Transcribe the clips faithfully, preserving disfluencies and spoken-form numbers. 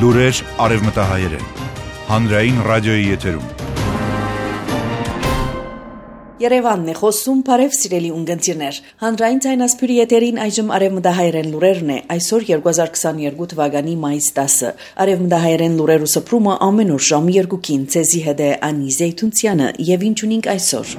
Լուրեր արևմտահայերեն, հանրային ռադիոյի եթերում։ Երևանն է խոսում, բարև սիրելի ունգընտիրներ։ Հանրային ցայնասփյուրի եթերին այժմ արևմտահայերեն լուրերն է, այսօր երկու հազար քսաներկու թվականի մայիս տասը։ Արևմտահայերեն լուրերու սփռումը ամեն օր ժամը երկուքին ցեզի հետ է Անի Զեյթունցյանը եւ ինչ ունենք այսօր։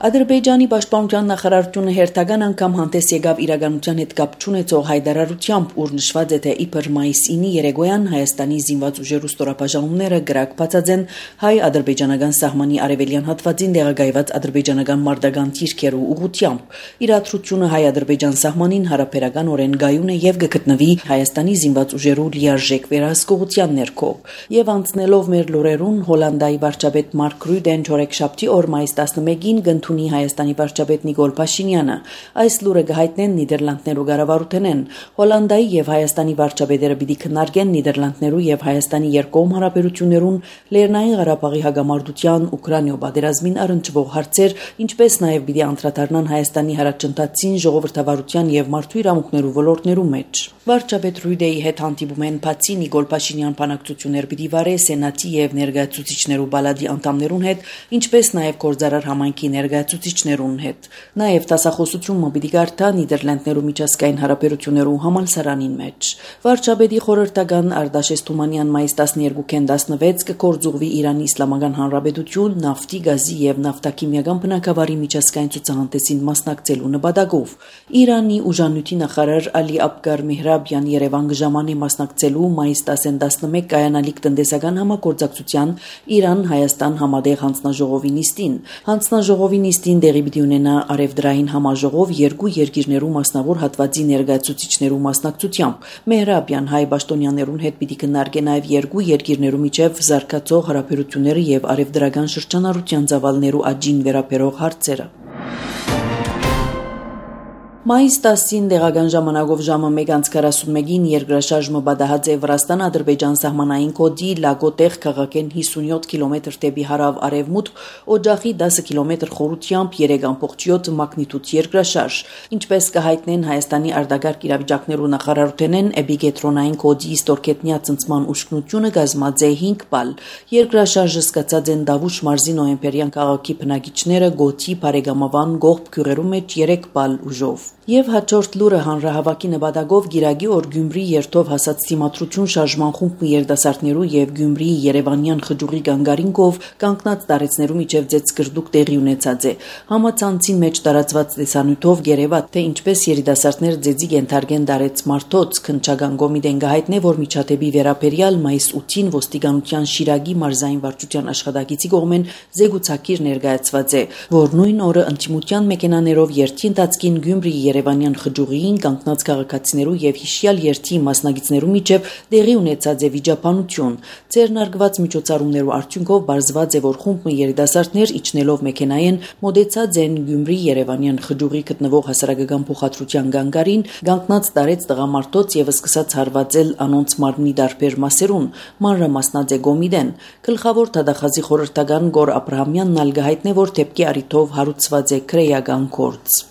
Ադրբեջանի պաշտպանության նախարարությունը հերթական անգամ հանդես եկավ իրականության հետ կապ չունեցող հայտարարությամբ, ուր նշված է, թե իբր մայիսի ինը երեկոյան Հայաստանի զինված ուժերու ստորաբաժանումները գրակ բացած են հայ-ադրբեջանական սահմանի արևելյան հատվածին տեղակայված ադրբեջանական մարտական թիրքերու ուղղությամբ։ Իրադրությունը հայ-ադրբեջան սահմանին հարաբերականորեն գայուն է եւ կգտնվի Հայաստանի զինված ուժերու լիարժեք վերահսկողության ներքո։ Եվ անցնելով մեր լուրերուն, Հոլանդիայի վարչապետ Մարկ Ռյուդեն չորեքշաբթի օր մայիս տասնմեկին գտնունի Հայաստանի վարչապետ Նիկոլ Փաշինյանը։ Այս լուրը կհայտնեն Նիդերլանդներու կառավարութենեն։ Հոլանդիայի եւ Հայաստանի վարչապետերը պիտի քննարկեն Նիդերլանդներու եւ Հայաստանի երկկողմ հարաբերություններուն, Լեռնային Ղարաբաղի հագամարտության, Ուկրաինայ պատերազմին առնչվող հարցեր, ինչպես նաեւ պիտի անդրադառնան Հայաստանի հարաճընթացին, ժողովրդավարության եւ մարդու իրավունքներու ոլորտներու մեջ։ Վարչապետ Ռյուդեի հետ հանդիպում են բացի Նիկոլ Փաշինյան բանակցություններ պիտի վարե Սենատի եւ ներկայացուցիչներու բալադի անդամներուն հետ, ինչպես նաեւ գործարար համայնքի ներկայացուցիչներուն հետ։ Նաեւ տասախոսությունը պիտի գարտա Նիդերլանդներու միջազգային հարաբերություններու համալսարանին մեջ։ Վարչապետի խորհրդական Արտաշես Թումանյան մայիս տասներկուին տասնվեց կգործուղվի Իրանի Իսլամական Հանրապետություն նավթի, գազի եւ նավթաքիմիական բնագավառի միջազգային ցուցահանդեսին մասնակցելու նպատակով։ Իրանի ուժանույթի նախարար Ալի Աբգար Մեհրաբյան Երևան կժամանի մասնակցելու մայիս տասին տասնմեկ կայանալիք տնտեսական համագործակցության Իրան-Հայաստան համատեղ հանձնաժողովի նիստին։ Հանձնաժողովի նիստին տեղի պիտի ունենա արևդրային համաժողով երկու երկիրներու մասնավոր հատվածի ներկայացուցիչներու մասնակցությամբ։ Մեհրաբյան հայ պաշտոնյաներուն հետ պիտի քննարկեն նաև երկու երկիրներու միջև զարգացող հարաբերությունները եւ արևդրական շրջանառության ծավալներու աճին վերաբերող հարցերը։ Մայիս տասին տեղական ժամանակով ժամը մեկ անց քառասունմեկին երկրաշարժը պատահած է Վրաստան-Ադրբեջան սահմանային կոդի Լագոտեղ քաղաքեն հիսունյոթ կիլոմետր դեպի հարավ արևմուտք, օջախի դասը կիլոմետր խորությամբ երեք ամբողջ յոթ մագնիտուդ երկրաշարժ։ Ինչպես կհայտնեն Հայաստանի արտագաղթ իրավիճակներու նախարարութենեն, էպիկենտրոնային կոդի ստորգետնյա ցնցման ուշքնությունը կազմած է հինգ բալ։ Երկրաշարժը սկսած են Դավուշ մարզի նոյեմբերյան քաղաքի բնակիչները Գոթի, Բարեգամավան, Գողբ գյուղերու մեջ երեք բալ ուժով։ Եվ հաջորդ լուրը հանրահավաքի նպատակով Գիրագի օր Գյումրի երթով հասած Թիմադրություն շարժման խումբի երիտասարդներու եւ Գյումրիի Երևանյան խճուղի գանգարինկով կանգնած տարեցներու միջև ձեծկրդուկ տեղի ունեցած է։ Համացանցին մեջ տարածված տեսանյութով գերեվա թե ինչպես երիտասարդներ ձեծի կենթարկեն դարեց մարդոց քնչական կոմիտեն գահիտնե, որ միջադեպի վերաբերյալ մայիս ութին ոստիկանության Շիրագի մարզային վարչության աշխատակիցի կողմեն զեկուցակիր ներկայացված է, որ նույն օրը ընդդիմության մեքենաներով երթի ընթացքին Գյումրիի Երևանյան խճուղին կանգնած քաղաքացիներու եւ հիշյալ երթի մասնագետներու միջև տեղի ունեցած է վիճաբանություն։ Ձեռնարկված միջոցառումներու արդյունքով բարձված է, որ խումբը երիտասարդներ իջնելով մեքենայեն մոտեցած են Գյումրի Երևանյան խճուղի գտնվող հասարակական փոխադրության գանգարին, կանգնած տարեց տղամարդոց եւ սկսած հարվածել անոնց մարմնի դարբեր մասերուն։ Մանրամասնած է Գոմիդեն։ Գլխավոր դատախազի խորհրդական Գոր Աբրահամյանն ալ գահիտնե, որ դեպքի առիթով հարուցված է քրեական գործ։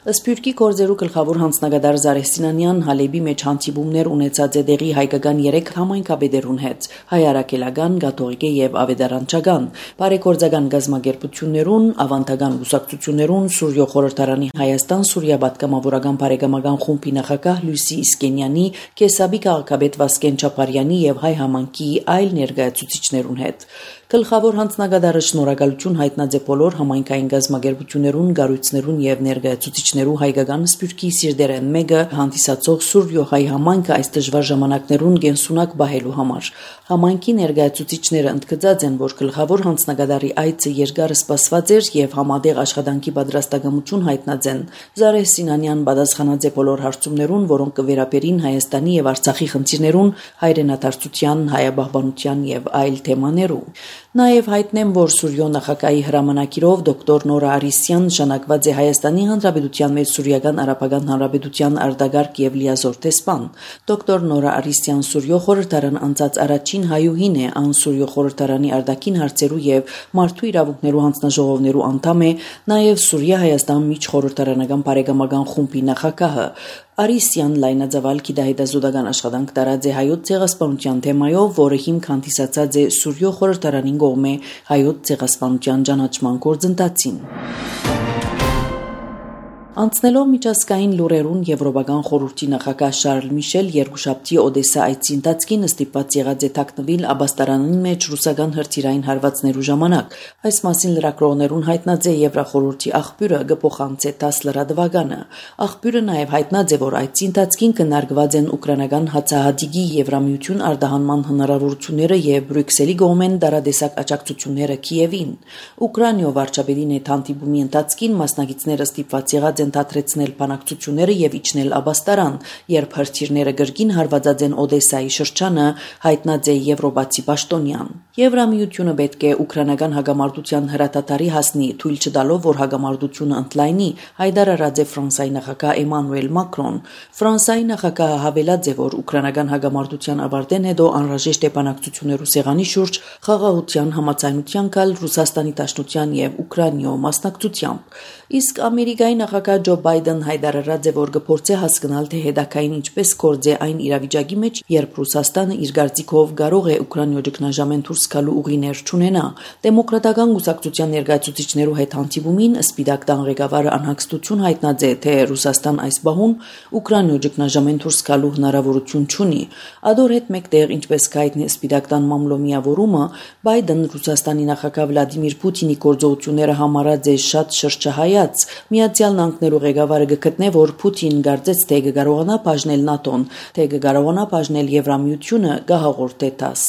Սփյուռքի գործերու գլխավոր հանձնագետար Զարեհ Սինանյան Հալեբի մեջ հանդիպումներ ունեցած է դեղի հայկական երեք համայնքաբեդերուն հետ՝ հայարակելական, կաթողիկե եւ ավետարանչական, բարեգործական գազམ་ագերբություններուն, ավանդական ուսակցություններուն, Սուրյո խորհրդարանի Հայաստան-Սուրիա պատգամավորական բարեկամական խումբի նախագահ Լուսի Իսկենյանի, Կեսաբի քաղաքապետ Վասկեն Չապարյանի եւ հայ համանքի այլ ներկայացուցիչներուն հետ։ Գլխավոր հանձնագետարը շնորհակալություն հայտնած է բոլոր համայնքային գազམ་ագերբություններուն, գառույցներուն եւ ներկայացուցիչներու հայկական Սփյուռքի սիրտերեն մեկը հանդիսացող Սուրյո հայ համայնքը այս դժվար ժամանակներուն գենսունակ բահելու համար։ Համայնքի ներկայացուցիչները ընդգծած են, որ գլխավոր հանձնագետարի այցը երկար սպասված էր եւ համատեղ աշխատանքի պատրաստակամություն հայտնած են։ Զարեհ Սինանյան պատասխանած է բոլոր հարցումներուն, որոնք կվերաբերին Հայաստանի եւ Արցախի խնդիրներուն, հայրենադարձության, հայաբահբանության եւ այլ թեմաներու։ Նաև հայտնեմ, որ Սուրյո նախագահի հրամանակիրով դոկտոր Նորա Արիսյան նշանակված է Հայաստանի Հանրապետության մեջ Սուրիական Արաբական Հանրապետության արտագարկ եւ լիազոր տեսփան։ Դոկտոր Նորա Արիսյան Սուրյո խորհրդարան անցած առաջին հայուհին է, ան Սուրյո խորհրդարանի արտաքին հարցերու եւ մարդու իրավունքներու հանձնաժողովներու անդամ է, նաև Սուրիա-Հայաստան միջխորհրդարանական բարեկամական խումբի նախագահը։ Արիսյան լայնածավալ գիտահետազոտական աշխատանք տարած է հայոց ցեղասպանության թեմայով, որը հիմք հանդիսացած է Սուրյո խորհրդարանի կողմէ հայոց ցեղասպանության ճանաչման գործընթացին։ Անցնելով միջազգային լուրերուն Եվրոպական խորհրդի նախագահ Շարլ Միշել երկուշաբթի Օդեսա այցի ընթացքին ստիպված եղած է թաքնվել աբաստարանին մեջ ռուսական հրթիռային հարվածներու ժամանակ։ Այս մասին լրագրողներուն հայտնած է Եվրախորհրդի աղբյուրը գփոխանցե տասը լրատվականը։ Աղբյուրը նաև հայտնած է, որ այցի ընթացքին քննարկված են ուկրաինական հացահատիկի Եվրամիություն արտահանման հնարավորությունները եւ Բրյուսելի կողմեն դարադեսակ աջակցությունները Կիևին։ Ուկրաինո վարչապետի հետ հանդիպումի ընթացքին մասնակիցները ստիպված եղած ընդհանրեցնել բանակցությունները եւ իջնել աբաստարան, երբ հրթիռները գրգին հարվածած են Օդեսայի շրջանը, հայտնած է եվրոպացի պաշտոնյան։ Եվրամիությունը պետք է ուկրաինական հագամարտության հրատատարի հասնի, թույլ չտալով, որ հագամարտությունը ընդլայնի, հայտարարած է Ֆրանսիայի նախագահ Էմանուել Մակրոն։ Ֆրանսիայի նախագահը հավելած է, որ ուկրաինական հագամարտության ավարտեն հետո անհրաժեշտ է բանակցություններու սեղանի շուրջ խաղաղության համաձայնության գալ Ռուսաստանի Դաշնության եւ Ուկրաինո մասնակցությամբ։ Իսկ Ամերիկայի նախագահ Ջո Բայդեն հայտարարած է, որ կփորձի հասկանալ, թե հետագային ինչպես կորձե այն իրավիճակի մեջ, երբ Ռուսաստանը իր գարծիքով կարող է Ուկրաինո ճգնաժամեն դուրս գալու ուղիներ չունենա։ Դեմոկրատական կուսակցության ներկայացուցիչներու հետ հանդիպումին Սպիտակ տան ղեկավարը անհանգստություն հայտնած է, թե Ռուսաստան այս բահուն Ուկրաինո ճգնաժամեն դուրս գալու հնարավորություն չունի։ Ադոր հետ մեկտեղ, ինչպես կայտնի Սպիտակ տան մամլո միավորումը, Բայդեն Ռուսաստանի նախագահ Վլադիմիր Պուտինի գործողությունները համարած է շատ շրջահայաց։ Միացյալ Նահանգներու ղեկավարը գտնե, որ Պուտին գարձեց, թե կկարողանա բաժնել ՆԱՏՕ-ն, թե կկարողանա բաժնել Եվրամիությունը, գահաղորդե տաս։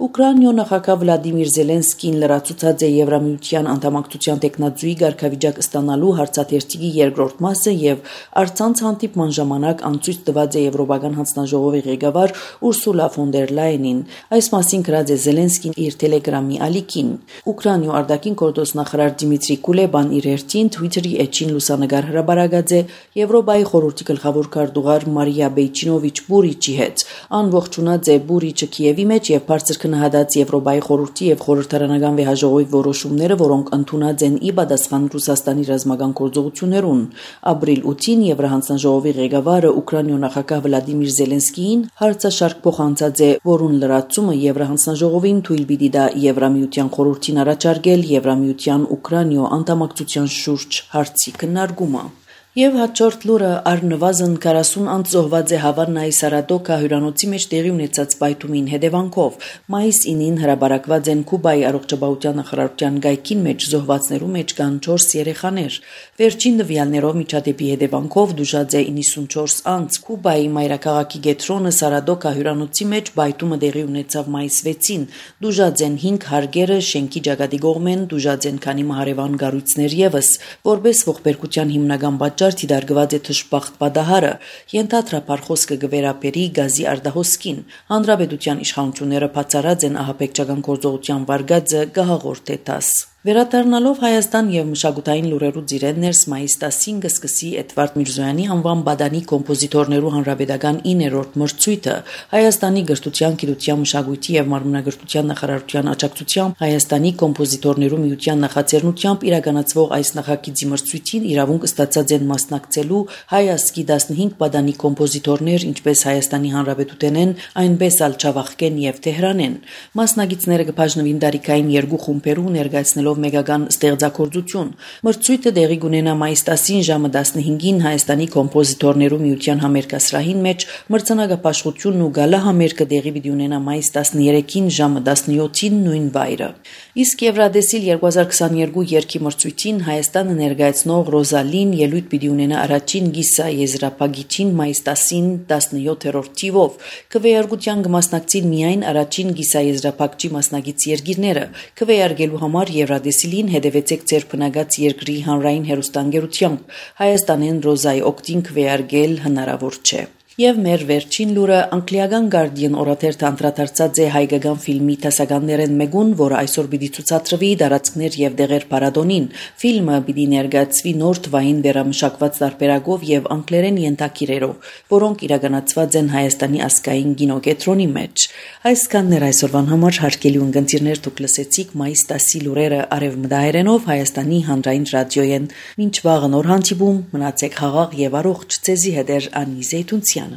Ուկրաինո նախագահ Վլադիմիր Զելենսկին լրացուցած է Եվրամիության անդամակցության տեխնազույի ղեկավարիչակ ստանալու հարցաթերթիկի երկրորդ մասը եւ արցանց հանդիպման ժամանակ անցույց տված է Եվրոպական հանձնաժողովի ղեկավար Ուրսուլա ֆոն դեր Լայենին։ Այս մասին գրած է Զելենսկին իր Telegram-ի ալիքին։ Ուկրաինո արտաքին գործոստնախարար Դիմիտրի Կուլեբան իր հերթին Twitter-ի էջին լուսանգար հրաբարագած է Եվրոպայի խորհրդի գլխավոր քարտուղար Մարիա Բեյչինովիչ Բուրիչի հետ։ Անողջունած է Բուրիչը Կիևի մեջ եւ բարձր քննադատած Եվրոպայի խորհրդի եւ խորհրդարանական վեհաժողովի որոշումները, որոնք ընդունած են ի պատասխան Ռուսաստանի ռազմական գործողություններուն։ Ապրիլ ութին Եվրահանձնաժողովի ղեկավարը Ուկրաինո նախագահ Վլադիմիր Զելենսկիին հարցաշարք փոխանցած է, որուն լրացումը Եվրահանձնաժողովին թույլ պիտի տա Եվրամիության խորհրդին առաջարկել Եվրամիության Ուկրաինո անդամակցության շուրջ հարցի քննարկումը։ Եվ հաջորդ լուրը առնվազն քառասուն անց զոհված է Հավանայի Սարադոկա հյուրանոցի մեջ տեղի ունեցած պայթումին հետևանքով։ Մայիս ինին հրաբարակված են Կուբայի առողջապահության նախարարության գայքին մեջ զոհվածներու մեջ կան չորս երեխաներ։ Վերջին տվյալներով միջադեպի հետևանքով դժուժած է իննսունչորս անց։ Կուբայի մայրաքաղաքի գետրոնը Սարադոկա հյուրանոցի մեջ պայթումը տեղի ունեցավ մայիս վեցին։ Դժուժած են հինգ հարգերը, շենքի ճակատի կողմեն դժուժած են քանի մահարևան կառույցներ եւս, որպես ողբերգության հիմնական դիտարկված է թշպախտ պատահարը, ենթադրաբար խոսքը կվերապերի գազի արտահոսքին։ Հանրապետության իշխանությունները բացառած են ահաբեկչական գործողության վարկածը գահաղորդ է տաս։ Վերադառնալով Հայաստան եւ մշակութային լուրերու ծիրեն ներս մայիս տասին կսկսի Էդվարդ Միրզոյանի անվան բադանի կոմպոզիտորներու հանրապետական իններորդ մրցույթը Հայաստանի գրթության, գիտության, մշակույթի եւ մարմնագրթության նախարարության աջակցությամբ Հայաստանի կոմպոզիտորներու միության նախաձեռնությամբ իրականացվող այս նախագիծի մրցույթին իրավունք ստացած են մասնակցելու հայ ազգի տասնհինգ բադանի կոմպոզիտորներ, ինչպես Հայաստանի Հանրապետութենեն, այնպես ալ Չավախկեն եւ Թեհրանեն։ Մասնակիցները կբաժնվին տարիքային երկու խումբերու ներկայացնելով մեգական ստեղծագործություն։ Մրցույթը տեղի կունենա մայիս տասին ժամը տասնհինգին Հայաստանի կոմպոզիտորներու միության համերգասրահին մեջ, մրցանակապաշխությունն ու գալա համերգը տեղի պիտի ունենա մայիս տասներեքին ժամը տասնյոթին նույն վայրը։ Իսկ Եվրադեսիլ երկու հազար քսաներկու երգի մրցույթին Հայաստանը ներկայացնող Ռոզալին ելույթ պիտի ունենա առաջին գիսա եզրափակիչին մայիս տասին տասնյոթերորդ թիվով։ Քվեարկության կմասնակցին միայն առաջին գիսա եզրափակչի մասնակից երկիրները։ Քվեարկելու համար Եվրադեսիլին հետևեցեք ձեր բնակած երկրի հանրային հեռուստաընկերությամբ։ Հայաստանեն Ռոզայի օգտին քվեարկել հնարավոր չէ։ Եվ մեր վերջին լուրը անգլիական Guardian օրաթերթը անդրադարձած է հայկական ֆիլմի տեսականներեն մեկուն, որը այսօր պիտի ցուցադրվի դարածքներ եւ դեղեր փառատոնին։ Ֆիլմը պիտի ներկայացվի նոր թվային վերամշակված տարբերակով եւ անգլերեն ենթակիրերով, որոնք իրականացված են Հայաստանի ազգային կինոկենտրոնի մեջ։ Այսքաններ այսօրվան համար հարգելի ունկնդիրներ դուք լսեցիք մայիս տասի լուրերը արևմտահայերենով Հայաստանի հանրային ռադիոյեն։ Մինչ վաղը նոր հանդիպում, մնացեք խաղաղ եւ առողջ, ցեզի հետեր Անի Զեյթունցյան։